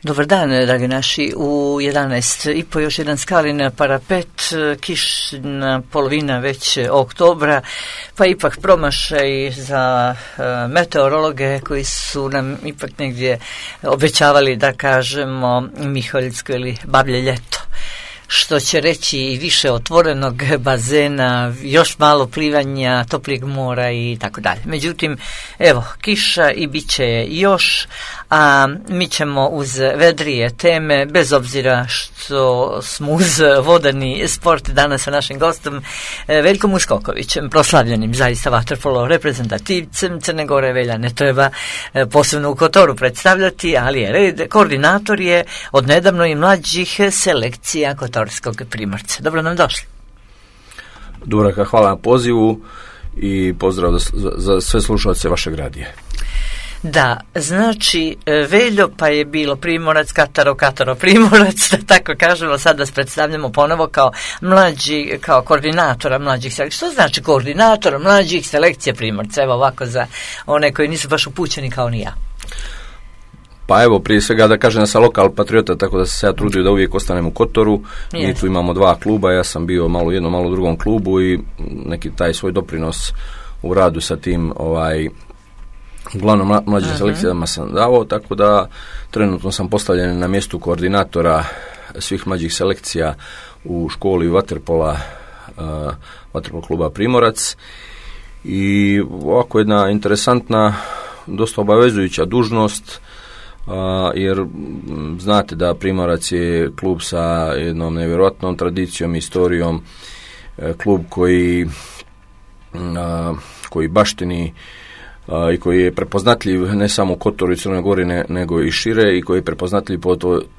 Dobar dan, dragi naši. U 11:30 još jedan skalin parapet, kišna polovina već oktobra, pa ipak promašaj za meteorologe koji su nam ipak negdje obećavali, da kažemo, Miholjsko ili Bablje ljeto. Što će reći više otvorenog bazena, još malo plivanja, toplijeg mora i tako dalje. Međutim, evo, kiša i bit će još, a mi ćemo uz vedrije teme, bez obzira što smo uz vodani sport danas sa našim gostom Veljkom Uskokovićem, proslavljenim zaista vaterpolo reprezentativcem Crne Gore. Velja ne treba posebno u Kotoru predstavljati, ali je red. Koordinator je od nedavno i mlađih selekcija Kotorskog Primorca. Dobro nam došli. Dubravka, hvala na pozivu i pozdrav za sve slušalce vašeg radija. Da, znači Veljo, pa je bilo Primorac, Kataro, Primorac, da tako kažemo, sad vas predstavljamo ponovo kao mlađi, kao koordinatora mlađih selekcija. Što znači koordinatora mlađih selekcija Primorca? Evo ovako za one koji nisu baš upućeni kao ni ja. Pa evo, prije svega da kažem da sam lokal patriota, tako da sam se ja trudio da uvijek ostanem u Kotoru. Mi tu imamo dva kluba, ja sam bio malo u jednom, malo u drugom klubu i neki taj svoj doprinos u radu sa tim uglavnom mlađim selekcijama sam dao, tako da trenutno sam postavljen na mjestu koordinatora svih mlađih selekcija u školi vaterpola kluba Primorac. I ovako jedna interesantna, dosta obavezujuća dužnost, jer znate da Primorac je klub sa jednom nevjerojatnom tradicijom, istorijom, klub koji baštini i koji je prepoznatljiv ne samo u Kotoru i Crnoj Gori nego i šire, i koji je prepoznatljiv po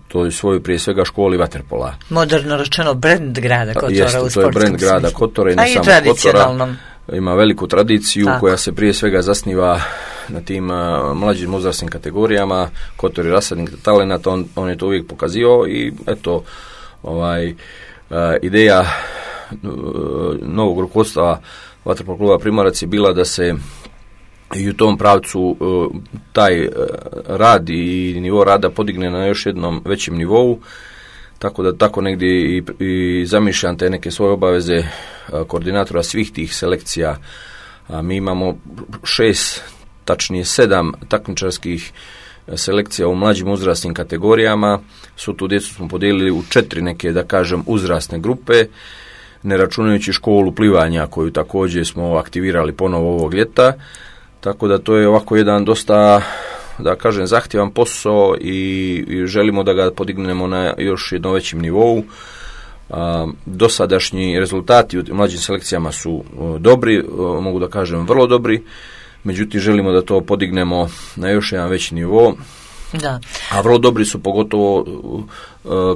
toj svojoj prije svega školi vaterpola. Moderno rečeno brand grada Kotora. Jeste, u sportskom smislu. To je brand grada Kotora i ne samo Kotora. Ima veliku tradiciju koja se prije svega zasniva na tim mlađim uzrasnim kategorijama. Kotor je rasadnik talenata, on je to uvijek pokazivao i eto, ideja novog rukovodstva vaterpolo kluba Primorac je bila da se i u tom pravcu taj rad i nivo rada podigne na još jednom većem nivou, tako da tako negdje i zamišljam te neke svoje obaveze koordinatora svih tih selekcija. Mi imamo 6, tačnije 7 takmičarskih selekcija u mlađim uzrasnim kategorijama. Su tu djecu smo podijelili u 4 neke, da kažem, uzrasne grupe, ne računajući školu plivanja koju također smo aktivirali ponovo ovog ljeta. Tako da to je ovako jedan dosta, da kažem, zahtjevan posao i želimo da ga podignemo na još jednom većem nivou. Dosadašnji rezultati u mlađim selekcijama su dobri, mogu da kažem vrlo dobri, međutim želimo da to podignemo na još jedan veći nivo. Da. A vrlo dobri su pogotovo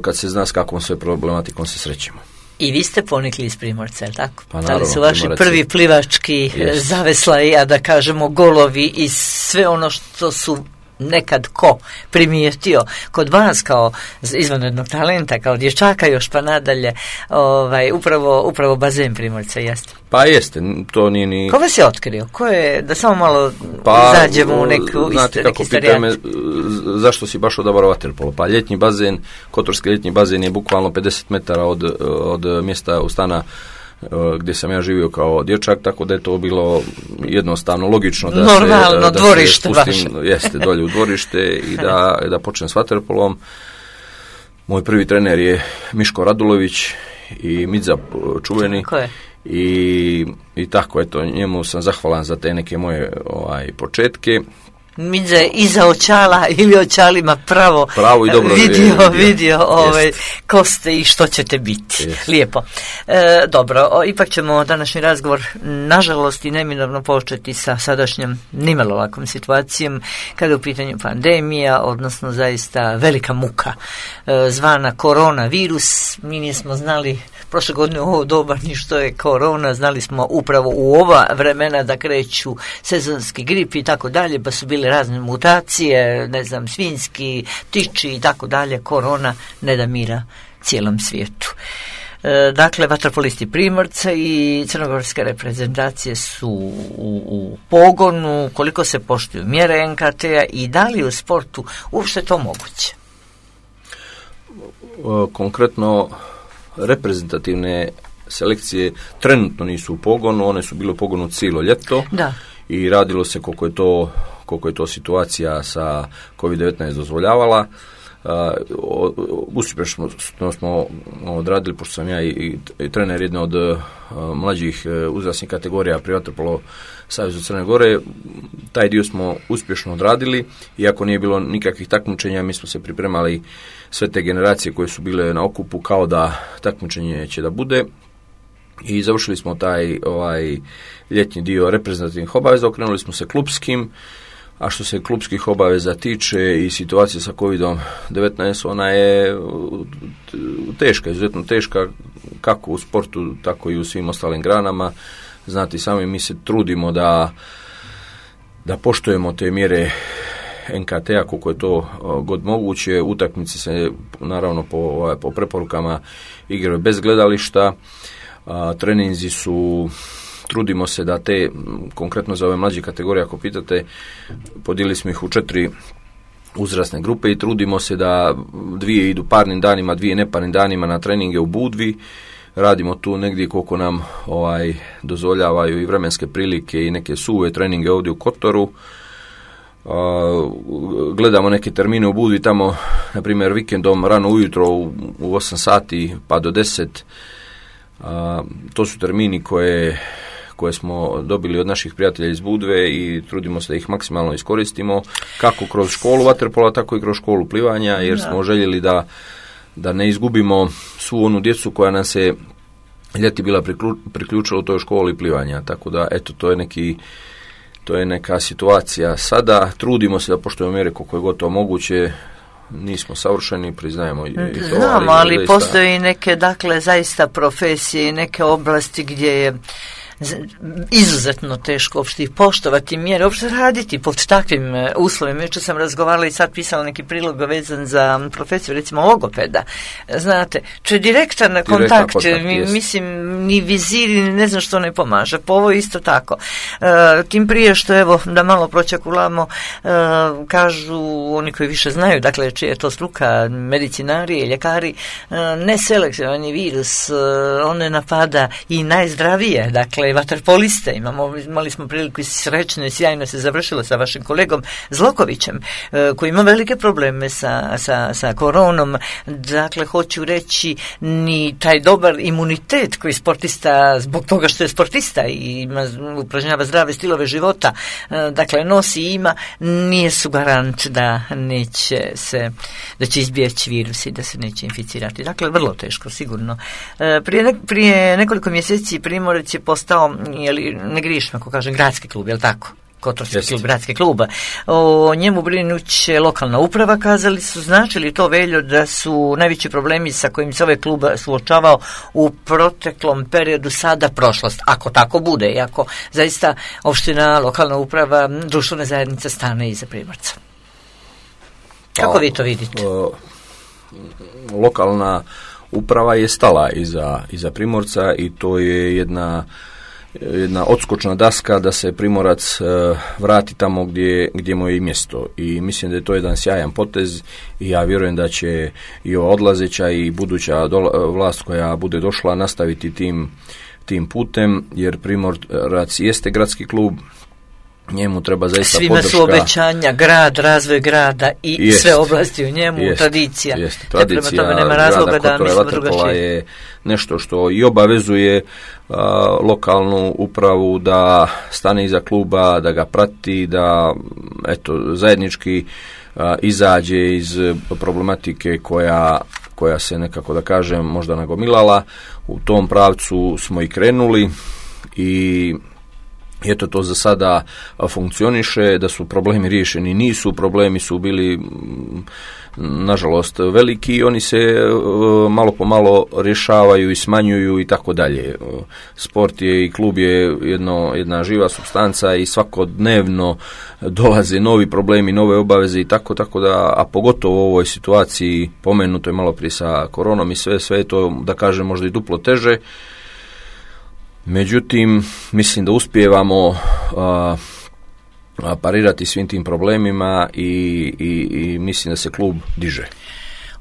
kad se zna s kakvom sve problematikom se srećemo. I vi ste ponikli iz Primorca, je li tako? Pa naravno, da li su vaši prvi plivački zaveslaji, a da kažemo golovi i sve ono što su nekad ko primijetio kod vas kao izvanrednog talenta, kao dječaka još pa nadalje, upravo bazen Primorca, jeste? Pa jeste, to nije ni... Ko vas je otkrio? Ko je, da samo malo zađemo u neki istorijat? Me, zašto si baš odabrao vaterpolo? Pa ljetni bazen, kotorski ljetni bazen je bukvalno 50 metara od mjesta u stana gdje sam ja živio kao dječak, tako da je to bilo jednostavno, logično da normalno, da dvorište se spustim, jeste, dolje u dvorište i da počnem s vaterpolom. Moj prvi trener je Miško Radulović i Midza čuveni. I tako, eto, njemu sam zahvalan za te neke moje početke. Midza je iza očala ili očalima pravo i dobro vidio ko ste i što ćete biti. Lijepo. Dobro, ipak ćemo današnji razgovor nažalost i neminovno početi sa sadašnjom nimalo lakom situacijom kada je u pitanju pandemija, odnosno zaista velika muka zvana koronavirus. Mi nismo znali prošle godine u ovo doba ni što je korona, znali smo upravo u ova vremena da kreću sezonski grip i tako dalje, pa su bile razne mutacije, ne znam, svinjski, ptiči i tako dalje. Korona ne da mira cijelom svijetu. Dakle, vaterpolisti Primorca i crnogorske reprezentacije su u pogonu, koliko se poštuju mjere NKT-a i da li u sportu uopšte to moguće? konkretno reprezentativne selekcije trenutno nisu u pogonu, one su bile u pogonu cijelo ljeto. Da. I radilo se koliko je to situacija sa COVID-19 dozvoljavala. Uspješno smo odradili, pošto sam ja i trener jedne od mlađih uzrasnih kategorija pri Vaterpolo Savezu Crne Gore, taj dio smo uspješno odradili, iako nije bilo nikakvih takmičenja, mi smo se pripremali sve te generacije koje su bile na okupu kao da takmičenje će da bude. I završili smo taj ljetni dio reprezentativnih obaveza, okrenuli smo se klupskim, a što se klupskih obaveza tiče i situacije sa COVID-19, ona je teška, izuzetno teška, kako u sportu, tako i u svim ostalim granama. Znate sami, mi se trudimo da poštujemo te mjere NKT-a koliko je to god moguće. Utakmice se naravno po preporukama igraju bez gledališta. Treninzi su, trudimo se da te, konkretno za ove mlađe kategorije, ako pitate, podijelili smo ih u 4 uzrasne grupe i trudimo se da 2 idu parnim danima, 2 neparnim danima na treninge u Budvi. Radimo tu negdje koliko nam dozvoljavaju i vremenske prilike i neke suve treninge ovdje u Kotoru. Gledamo neke termine u Budvi tamo, na primjer vikendom rano ujutro u 8 sati pa do 10. To su termini koje smo dobili od naših prijatelja iz Budve i trudimo se da ih maksimalno iskoristimo, kako kroz školu vaterpola, tako i kroz školu plivanja, jer smo željeli da ne izgubimo svu onu djecu koja nam se ljeti bila priključila u toj školi plivanja. Tako da, eto, to je neka situacija. Sada trudimo se da poštujemo mjere koliko je gotovo moguće. Nismo savršeni, priznajemo i to. Znamo, ali postoji neke, dakle, zaista profesije i neke oblasti gdje je izuzetno teško uopšte ih poštovati mjere, uopšte raditi pod takvim uslovima. Jučer sam razgovarala i sad pisala neki prilog vezan za profesiju, recimo logopeda. Znate, to je direktan kontakt, mislim, ni viziri, ne znam što ne pomaže. Po ovo isto tako. Tim prije što, evo, da malo pročakulamo, kažu oni koji više znaju, dakle, čija je to struka, medicinari, ljekari, neselektivan virus, on ne napada i najzdravije, dakle, vaterpoliste. Imali smo priliku i srećno i sjajno se završilo sa vašim kolegom Zlokovićem, koji ima velike probleme sa koronom. Dakle, hoću reći, ni taj dobar imunitet koji sportista, zbog toga što je sportista i upražnjava zdrave stilove života, dakle, nosi i ima, nije su garant da će izbjeći virus i da se neće inficirati. Dakle, vrlo teško, sigurno. Prije nekoliko mjeseci Primorac je postao, ne grišim ako kažem, gradski klub, je li tako? Kotorski klub, gradski klub. O njemu brinuće lokalna uprava, kazali su. Znači li to, Veljo, da su najveći problemi sa kojim se ovaj klub suočavao u proteklom periodu sada prošlost? Ako tako bude i ako zaista opština, lokalna uprava, društvena zajednica stane iza Primorca. Kako vi to vidite? Lokalna uprava je stala iza Primorca i to je jedna odskočna daska da se Primorac vrati tamo gdje mu je i mjesto. I mislim da je to jedan sjajan potez i ja vjerujem da će i ova odlazeća i buduća vlast koja bude došla nastaviti tim putem, jer Primorac jeste gradski klub, njemu treba zaista svima podrška. Svima su obećanja, grad, razvoj grada i sve oblasti u njemu, tradicija. Tradicija prema tome nema razloga da mislimo drugačije. Je nešto što i obavezuje lokalnu upravu da stane iza kluba, da ga prati, da zajednički izađe iz problematike koja se nekako, da kažem, možda nagomilala. U tom pravcu smo i krenuli i eto, to za sada funkcioniše. Da su problemi riješeni, nisu. Problemi su bili, nažalost, veliki i oni se malo po malo rješavaju i smanjuju i tako dalje. Sport je i klub je jedna živa supstanca i svakodnevno dolaze novi problemi, nove obaveze i tako da, a pogotovo u ovoj situaciji, pomenuto je malo prije sa koronom i sve je to, da kažem, možda i duplo teže. Međutim, mislim da uspijevamo parirati svim tim problemima i mislim da se klub diže.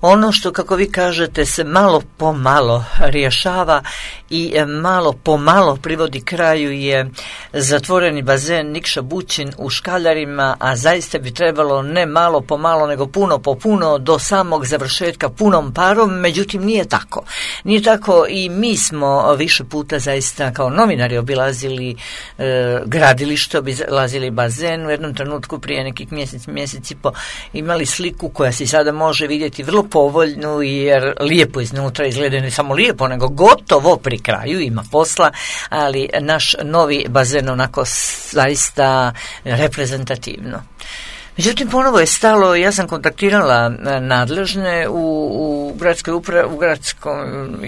ono što, kako vi kažete, se malo po malo rješava i malo po malo privodi kraju je zatvoreni bazen Nikša Bućin u Škaljarima, a zaista bi trebalo ne malo po malo, nego puno po puno do samog završetka punom parom, međutim nije tako. Nije tako i mi smo više puta zaista kao novinari obilazili gradilište, obilazili bazen. U jednom trenutku prije nekih mjesec i po imali sliku koja se sada može vidjeti vrlo povoljnu, jer lijepo iznutra izgleda, ne samo lijepo, nego gotovo pri kraju, ima posla, ali naš novi bazen onako zaista reprezentativno. Međutim, ponovo je stalo, ja sam kontaktirala nadležne u gradskoj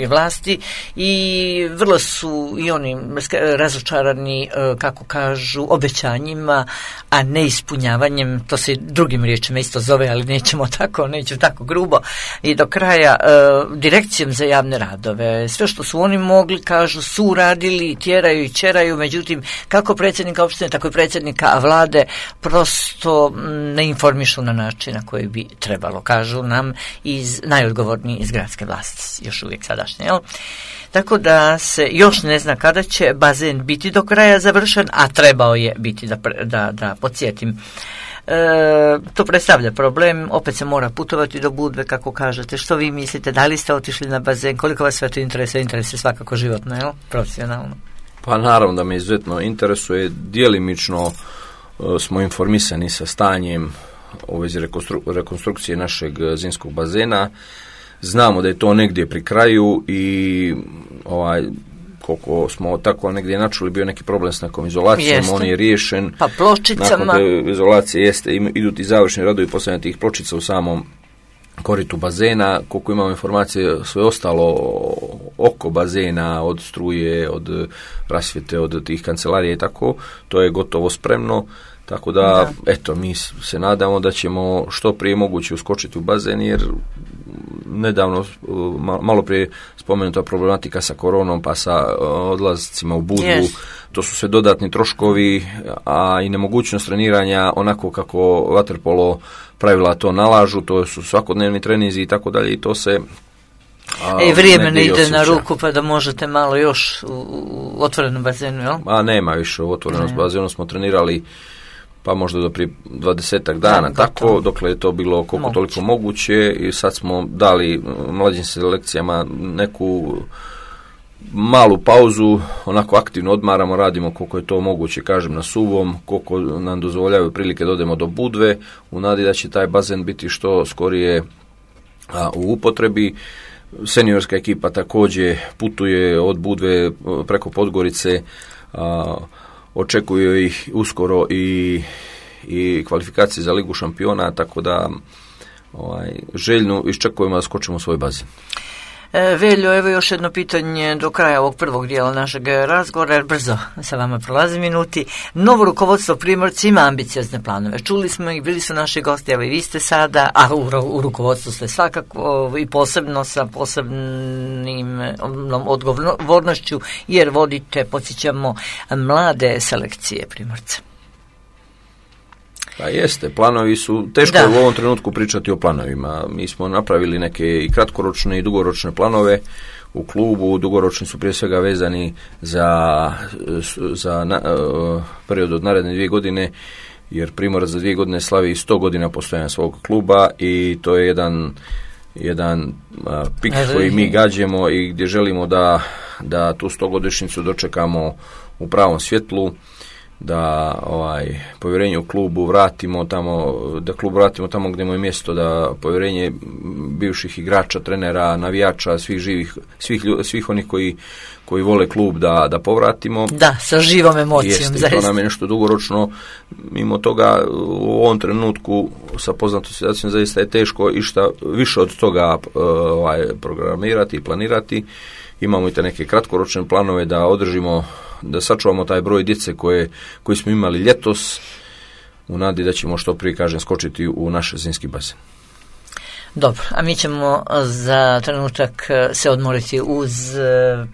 vlasti i vrlo su i oni razočarani, kako kažu, obećanjima, a ne ispunjavanjem, to se drugim riječima isto zove, ali neću tako grubo, i do kraja direkcijom za javne radove. Sve što su oni mogli, kažu, su uradili, tjeraju i čeraju, međutim, kako predsjednika opštine, tako i predsjednika vlade prosto ne informišu na način na koji bi trebalo, kažu nam najodgovorniji iz gradske vlasti, još uvijek sadašnje, jel? Tako da se još ne zna kada će bazen biti do kraja završen, a trebao je biti, da podsjetim. To predstavlja problem, opet se mora putovati do Budve, kako kažete. Što vi mislite, da li ste otišli na bazen, koliko vas sve to interesuje? Interesuje svakako životno, jel? Profesionalno. Pa naravno da me izuzetno interesuje, djelimično smo informisani sa stanjem u vezi rekonstrukcije našeg zimskog bazena. Znamo da je to negdje pri kraju i koliko smo tako negdje načuli, bio neki problem s nekom izolacijom, on je riješen. Pa pločicama. Nakon te izolacije idu ti završni radovi postavljanja tih pločica u samom koritu bazena. Koliko imamo informacije, sve ostalo oko bazena, od struje, od rasvjete, od tih kancelarija i tako, to je gotovo spremno. Tako da, eto, mi se nadamo da ćemo što prije moguće uskočiti u bazen, jer nedavno, malo prije spomenuta problematika sa koronom, pa sa odlazcima u Budvu, to su sve dodatni troškovi, a i nemogućnost treniranja onako kako vaterpolo pravila to nalažu, to su svakodnevni treninzi i tako dalje, i to se vrijeme ne ide na ruku, pa da možete malo još u otvorenom bazenu, jel? A nema više u otvorenom bazenu, smo trenirali pa možda do prije 20 dana, tako, dokle je to bilo koliko toliko moguće, i sad smo dali mlađim selekcijama neku malu pauzu, onako aktivno odmaramo, radimo koliko je to moguće, kažem, na suvom, koliko nam dozvoljavaju prilike da odemo do Budve, u nadi da će taj bazen biti što skorije u upotrebi. Seniorska ekipa također putuje od Budve preko Podgorice, očekuju ih uskoro i kvalifikacije za Ligu šampiona, tako da željno iščekujemo da skočimo u svoj bazen. Veljo, evo još jedno pitanje do kraja ovog prvog dijela našeg razgovora, jer brzo sa vama prolazi minuti. Novo rukovodstvo Primorci ima ambiciozne planove. Čuli smo ih, bili su naši gosti, evo i vi ste sada, a u rukovodstvu ste svakako i posebno sa posebnim odgovornošću, jer vodite, podsjećamo, mlade selekcije Primorca. Pa jeste, planovi su, teško je u ovom trenutku pričati o planovima. Mi smo napravili neke i kratkoročne i dugoročne planove u klubu. Dugoročni su prije svega vezani za period od naredne 2 godine, jer Primorac za 2 godine slavi 100 godina postojanja svog kluba, i to je jedan pik koji mi gađemo i gdje želimo da tu 100-godišnjicu dočekamo u pravom svjetlu, da povjerenje u klubu vratimo tamo, da klub vratimo tamo gdje mu je mjesto, da povjerenje bivših igrača, trenera, navijača, svih onih koji vole klub da povratimo. Da, sa živom emocijom. Jeste, to nam je nešto dugoročno. Mimo toga, u ovom trenutku sa poznatom situacijom zaista je teško išta više od toga programirati i planirati. Imamo i te neke kratkoročne planove da održimo, da sačuvamo taj broj djece koji smo imali ljetos, u nadi da ćemo što prije, kažem, skočiti u naš zimski bazen. Dobro, a mi ćemo za trenutak se odmoriti uz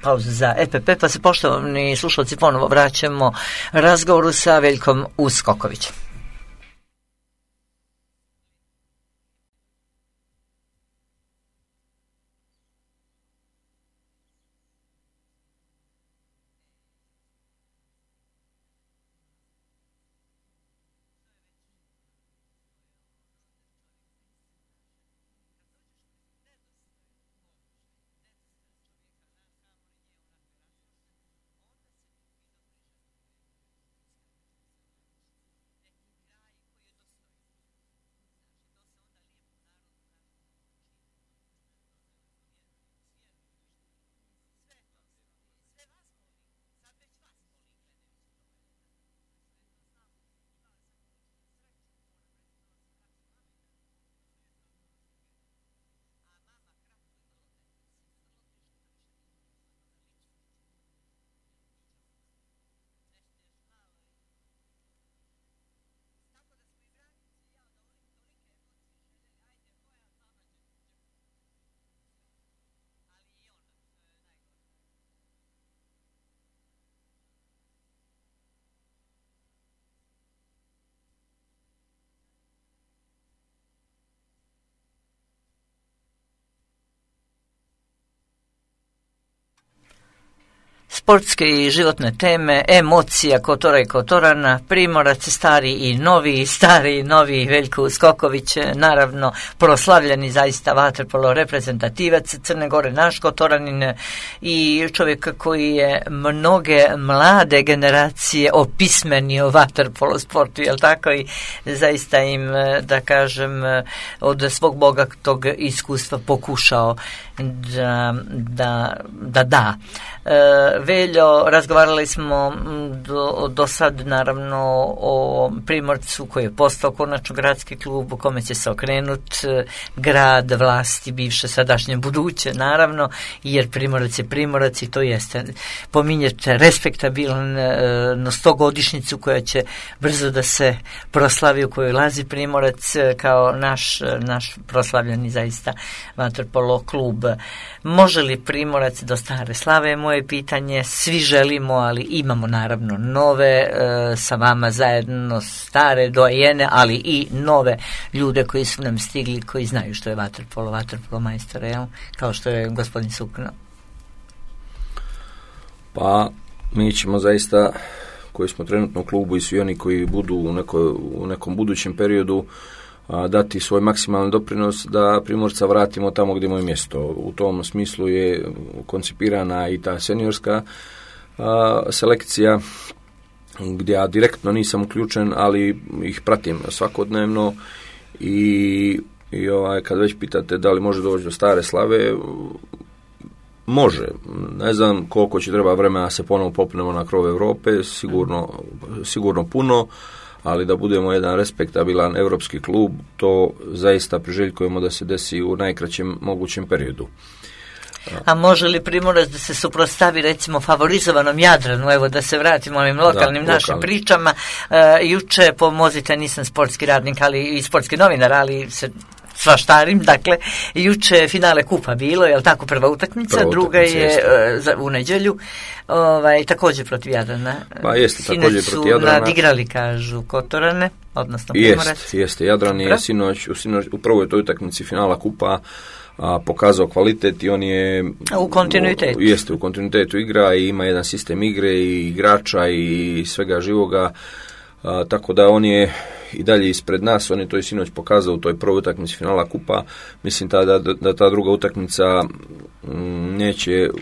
pauzu za EPP, pa se, poštovani slušalci, ponovo vraćamo razgovoru sa Veljkom Uskokovićem. sportske i životne teme, emocija Kotora i Kotorana, Primorac, stari i novi Veljko Skoković, naravno proslavljeni zaista vaterpolo reprezentativac Crne Gore, naš Kotoranin i čovjek koji je mnoge mlade generacije opismenio vaterpolo sportu, jel tako, i zaista im, da kažem, od svog bogatog iskustva pokušao da. Veljo, razgovarali smo do sad naravno o Primorcu koji je postao konačno gradski klub u kome će se okrenut grad, vlasti, bivše, sadašnje, buduće naravno, jer Primorac je Primorac i to jeste, pominjete, respektabilan na 100-godišnjicu koja će brzo da se proslavi, u kojoj lazi Primorac kao naš proslavljeni zaista vaterpolo klub. Može li Primorac do stare slave, moje pitanje, svi želimo, ali imamo naravno nove sa vama zajedno, stare dojene, ali i nove ljude koji su nam stigli, koji znaju što je vaterpolo majstore, jel? Kao što je gospodin Sukno. Pa mi ćemo zaista, koji smo trenutno u klubu i svi oni koji budu u nekom budućem periodu, dati svoj maksimalni doprinos da Primorca vratimo tamo gdje mu je mjesto. U tom smislu je koncipirana i ta seniorska selekcija, gdje ja direktno nisam uključen, ali ih pratim svakodnevno i kad već pitate da li može doći do stare slave, može. Ne znam koliko će treba vremena da se ponovo popnemo na krov Europe, sigurno puno, ali da budemo jedan respektabilan europski klub, to zaista priželjkujemo da se desi u najkraćem mogućem periodu. A može li Primorac da se suprotstavi recimo favorizovanom Jadranu, evo da se vratimo ovim lokalnim našim pričama. Juče, pomozite, nisam sportski radnik, ali i sportski novinar, ali se svaštarim, dakle, juče finale kupa bilo, je li tako, prva utakmica, druga je u nedjelju, također protiv Jadrana. Pa jeste, također protiv Jadrana. Sinoć su nadigrali, kažu, Kotorane, odnosno Primorac. Jeste, Jadran je sinoć u prvoj toj utakmici finala kupa pokazao kvalitet i on je u kontinuitetu. Jeste, u kontinuitetu igra i ima jedan sistem igre i igrača i svega živoga, tako da on je i dalje ispred nas. On je to i sinoć pokazao u toj prvoj utakmici finala kupa. Mislim da ta druga utakmica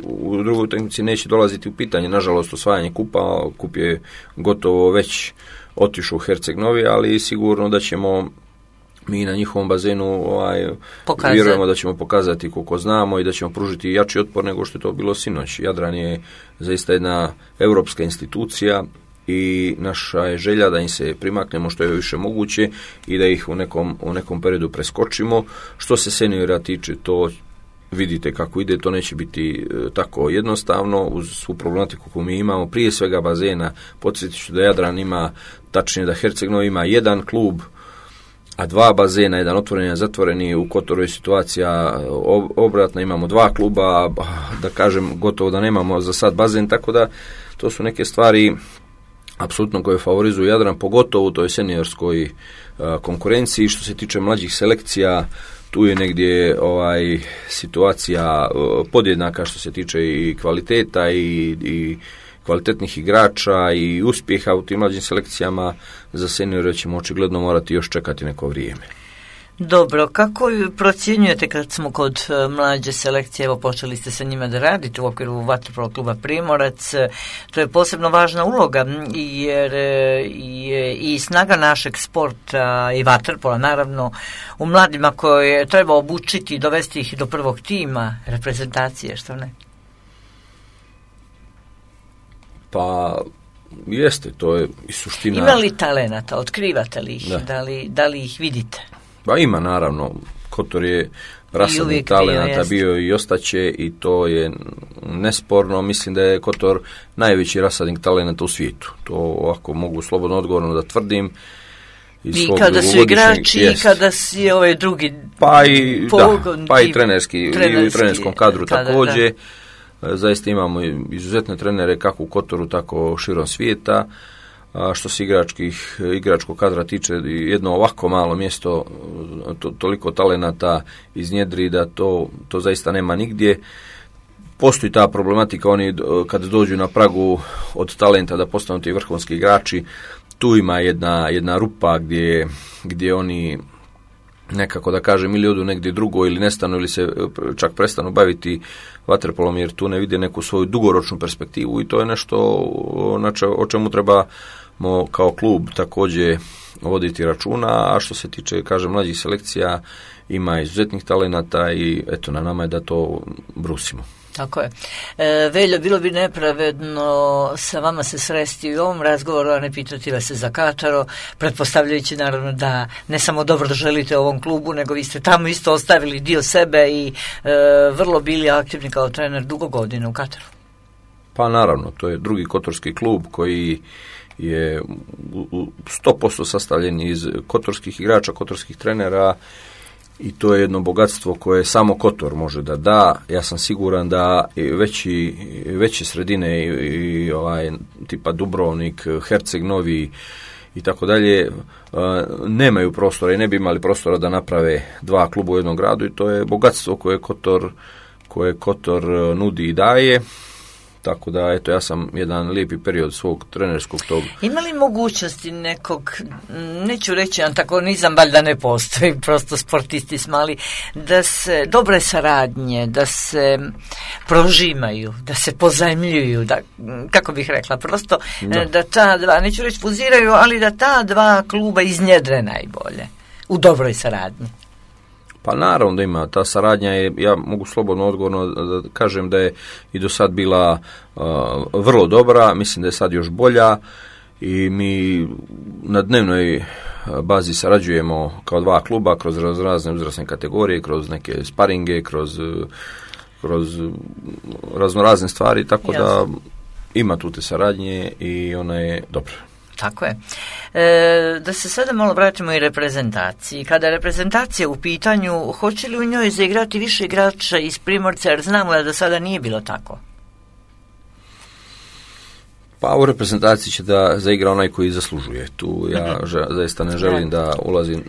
u drugoj utakmici neće dolaziti u pitanje, nažalost, osvajanje kupa. Kup je gotovo već otišao u Herceg Novi, ali sigurno da ćemo mi na njihovom bazenu vjerujemo da ćemo pokazati koliko znamo i da ćemo pružiti jači otpor nego što je to bilo sinoć. Jadran je zaista jedna europska institucija i naša je želja da im se primaknemo što je više moguće i da ih u nekom periodu preskočimo. Što se seniora tiče, to vidite kako ide, to neće biti tako jednostavno uz svu problematiku koju mi imamo, prije svega bazena. Podsjetit ću da Jadran ima, tačnije da Herceg Novi ima jedan klub, a dva bazena, jedan otvoreni, a zatvoreni. U Kotoru je situacija obratna, imamo dva kluba, da kažem gotovo da nemamo za sad bazen, tako da to su neke stvari apsolutno koje favorizuju Jadran, pogotovo u toj seniorskoj konkurenciji. Što se tiče mlađih selekcija, tu je negdje situacija podjednaka što se tiče i kvaliteta i kvalitetnih igrača i uspjeha u tim mlađim selekcijama. Za seniore ćemo očigledno morati još čekati neko vrijeme. Dobro, kako procjenjujete kad smo kod mlađe selekcije, evo počeli ste sa njima da radite u okviru vaterpolo kluba Primorac, to je posebno važna uloga jer je i snaga našeg sporta i vaterpola naravno u mladima koje treba obučiti i dovesti ih do prvog tima reprezentacije, što ne? Pa jeste, to je i suština. Ima li talenata, otkrivate li ih, da li ih vidite? Pa ima naravno, Kotor je rasadnik talenata bio i ostaće i to je nesporno. Mislim da je Kotor najveći rasadnik talenata u svijetu. To ovako mogu slobodno odgovorno da tvrdim. I kada su igrači i kada si ovaj drugi pogon. Pa i trenerski, i u trenerskom kadru također. Zaista imamo izuzetne trenere kako u Kotoru, tako širom svijeta. Što se igračkog kadra tiče, jedno ovako malo mjesto toliko talenata iznjedri da to zaista nema nigdje. postoji ta problematika, oni kada dođu na pragu od talenta da postanu ti vrhunski igrači, tu ima jedna rupa gdje oni nekako, da kažem, ili odu negdje drugo ili nestanu ili se čak prestanu baviti vaterpolom jer tu ne vide neku svoju dugoročnu perspektivu i to je nešto o čemu trebamo kao klub također voditi računa, a što se tiče, kažem, mlađih selekcija, ima izuzetnih talenata i eto, na nama je da to brusimo. Tako je. Veljo, bilo bi nepravedno sa vama se sresti u ovom razgovoru, a ne pitati vas se za Kataro, pretpostavljajući naravno da ne samo dobro želite ovom klubu, nego vi ste tamo isto ostavili dio sebe i vrlo bili aktivni kao trener dugo godina u Kataru. Pa naravno, to je drugi kotorski klub koji je 100% sastavljen iz kotorskih igrača, kotorskih trenera i to je jedno bogatstvo koje samo Kotor može da da. Ja sam siguran da veće sredine i tipa Dubrovnik, Herceg Novi i tako dalje nemaju prostora i ne bi imali prostora da naprave dva kluba u jednom gradu i to je bogatstvo koje Kotor nudi i daje. Tako da, eto, ja sam jedan lijepi period svog trenerskog tog. Ima li mogućnosti nekog, neću reći antagonizam, valjda ne postoji, prosto sportisti smo, ali da se dobre saradnje, da se prožimaju, da se pozajmljuju, da, kako bih rekla, prosto da ta dva, neću reći fuziraju, ali da ta dva kluba iznjedre najbolje u dobroj saradnji. Pa naravno da ima, ta saradnja je, ja mogu slobodno odgovorno da kažem da je i do sad bila vrlo dobra, mislim da je sad još bolja i mi na dnevnoj bazi sarađujemo kao dva kluba kroz razne uzrasne kategorije, kroz neke sparinge, kroz raznorazne stvari, tako da ima tu te saradnje i ona je dobra. Tako je. Da se sada malo vratimo i reprezentaciji. Kada je reprezentacija u pitanju, hoće li u njoj zaigrati više igrača iz Primorca, jer znamo da do sada nije bilo tako? Pa u reprezentaciji će da zaigra onaj koji zaslužuje. Tu ja zaista ne želim da ulazim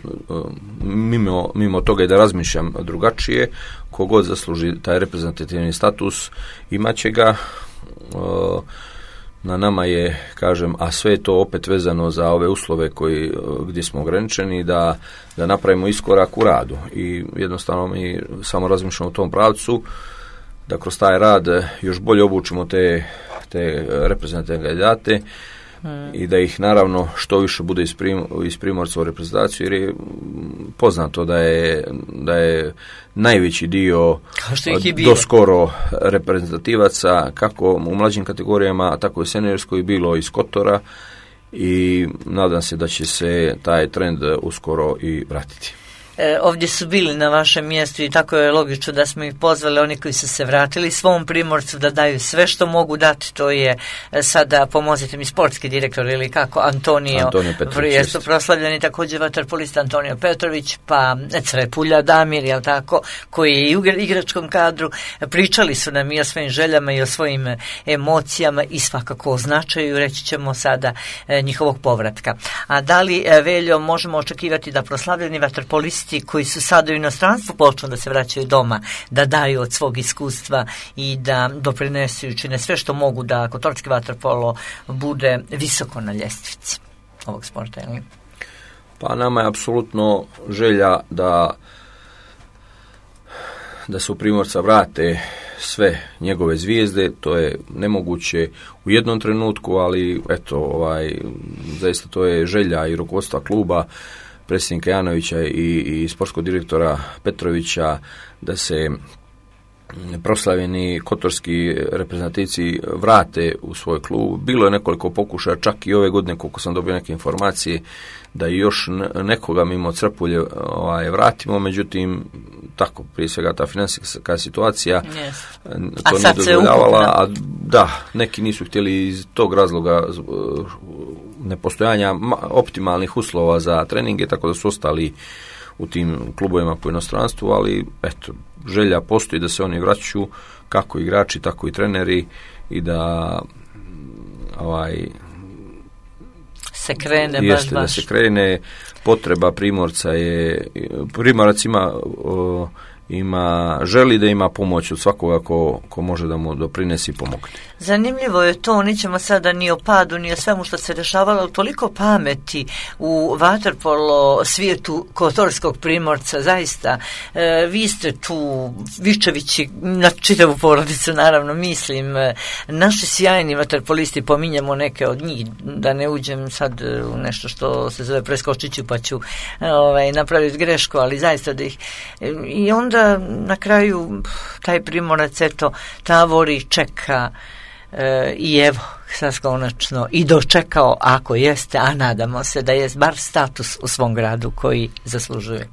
mimo toga i da razmišljam drugačije. Kogod zasluži taj reprezentativni status, imaće ga. Na nama je, kažem, a sve je to opet vezano za ove uslove gdje smo ograničeni, da napravimo iskorak u radu i jednostavno mi samo razmišljamo u tom pravcu da kroz taj rad još bolje obučimo te reprezentativne kandidate i da ih naravno što više bude iz Primorca u reprezentaciju, jer je poznato da je najveći dio doskoro reprezentativaca kako u mlađim kategorijama, tako i seniorskoj bilo iz Kotora i nadam se da će se taj trend uskoro i vratiti. Ovdje su bili na vašem mjestu i tako je logično da smo ih pozvali, oni koji su se vratili svom Primorcu da daju sve što mogu dati. To je sada, pomozite mi, sportski direktor ili kako, Antonio Petrović, su proslavljeni, također vaterpolista Antonio Petrović, pa Crepulja Damir, jel tako, koji je i u igračkom kadru. Pričali su nam i o svojim željama i o svojim emocijama i svakako o značaju, reći ćemo sada, njihovog povratka. A da li, Veljo, možemo očekivati da proslavljeni vaterpolisti koji su sada u inostranstvu počnu da se vraćaju doma, da daju od svog iskustva i da doprinesu i učine sve što mogu da kotorski vaterpolo bude visoko na ljestvici ovog sporta? Ili? Pa nama je apsolutno želja da se u Primorca vrate sve njegove zvijezde. To je nemoguće u jednom trenutku, ali eto, zaista to je želja i rukovodstva kluba, predsjednika Janovića i sportskog direktora Petrovića, da se proslavljeni kotorski reprezentativci vrate u svoj klub. Bilo je nekoliko pokušaja, čak i ove godine, koliko sam dobio neke informacije, da još nekoga mimo Crpulje vratimo, međutim, tako, prije svega ta financijska situacija to nije dozvoljavala, a da, neki nisu htjeli iz tog razloga nepostojanja optimalnih uslova za treninge, tako da su ostali u tim klubovima po inostranstvu, ali eto, želja postoji da se oni vraćaju, kako igrači, tako i treneri, i da se krene baš. Da se krene. Potreba Primorca je, Primorac ima želi da ima pomoć od svakoga ko može da mu doprinesi i pomogne. Zanimljivo je to, nećemo sada ni o padu, ni o svemu što se dešavalo, ali toliko pameti u vaterpolo svijetu Kotorskog Primorca, zaista. Vi ste tu, Vičevići, na čitavu porodicu naravno mislim, naši sjajni vaterpolisti, pominjamo neke od njih, da ne uđem sad u nešto što se zove preskočiću pa ću napraviti grešku, ali zaista da ih... I onda na kraju taj Primorac eto tavori, čeka i evo sad konačno i dočekao, ako jeste, a nadamo se da je bar status u svom gradu koji zaslužuje.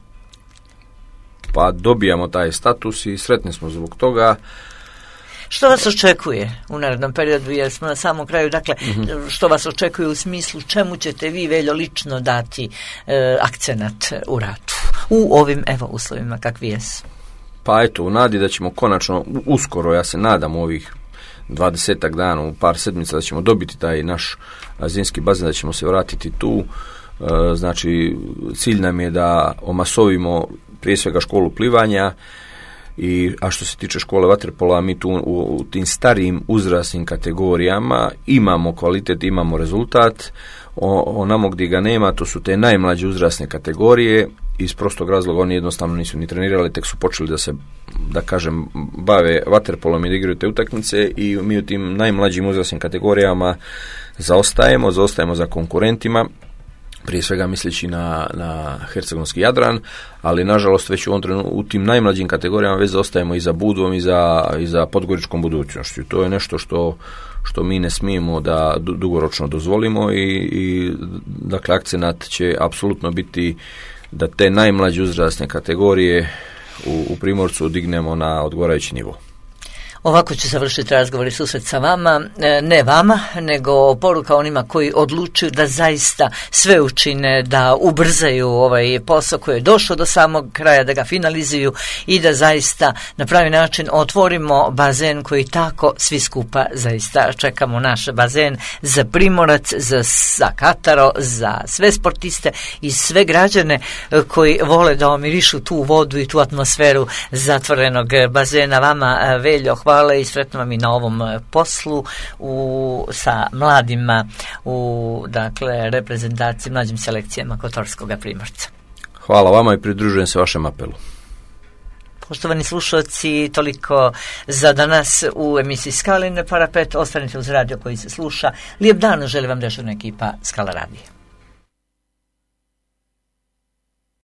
Pa dobijamo taj status i sretni smo zbog toga. Što vas očekuje u narednom periodu, jer smo na samom kraju, dakle, što vas očekuje u smislu čemu ćete vi, Veljo, lično dati akcenat u ratu u ovim uslovima kakvi jesu? Pa eto, u nadi da ćemo konačno uskoro, ja se nadam, ovih 20 dana, u par sedmica da ćemo dobiti taj naš zimski bazen, da ćemo se vratiti tu. Znači, cilj nam je da omasovimo prije svega školu plivanja, a što se tiče škole vaterpola, mi tu u tim starijim uzrasnim kategorijama imamo kvalitet, imamo rezultat. Onamo gdje ga nema, to su te najmlađe uzrasne kategorije. Iz prostog razloga oni jednostavno nisu ni trenirali, tek su počeli da se, da kažem, bave vaterpolom i da igraju te utakmice, i mi u tim najmlađim uzrasnim kategorijama zaostajemo za konkurentima, prije svega misleći na hercegovski Jadran, ali nažalost već u ovom trenutku u tim najmlađim kategorijama već zaostajemo i za Budvom i za podgoričkom budućnošću. To je nešto što mi ne smijemo da dugoročno dozvolimo i dakle akcenat će apsolutno biti da te najmlađe uzrasne kategorije u Primorcu dignemo na odgovarajući nivo. Ovako će završiti razgovor i susret sa vama, ne vama, nego poruka onima koji odlučuju da zaista sve učine, da ubrzaju ovaj posao koji je došao do samog kraja, da ga finalizuju i da zaista na pravi način otvorimo bazen koji tako svi skupa zaista čekamo, naš bazen za Primorac, za Kataro, za sve sportiste i sve građane koji vole da omirišu tu vodu i tu atmosferu zatvorenog bazena. Vama, Veljo, hvala i sretno vam i na ovom poslu sa mladima u reprezentaciji, mlađim selekcijama Kotorskog Primorca. Hvala vama i pridružujem se vašem apelu. Poštovani slušalci, toliko za danas u emisiji Skala na parapet. Ostanite uz radio koji se sluša. Lijep dan želi vam dežurna ekipa Skala radija.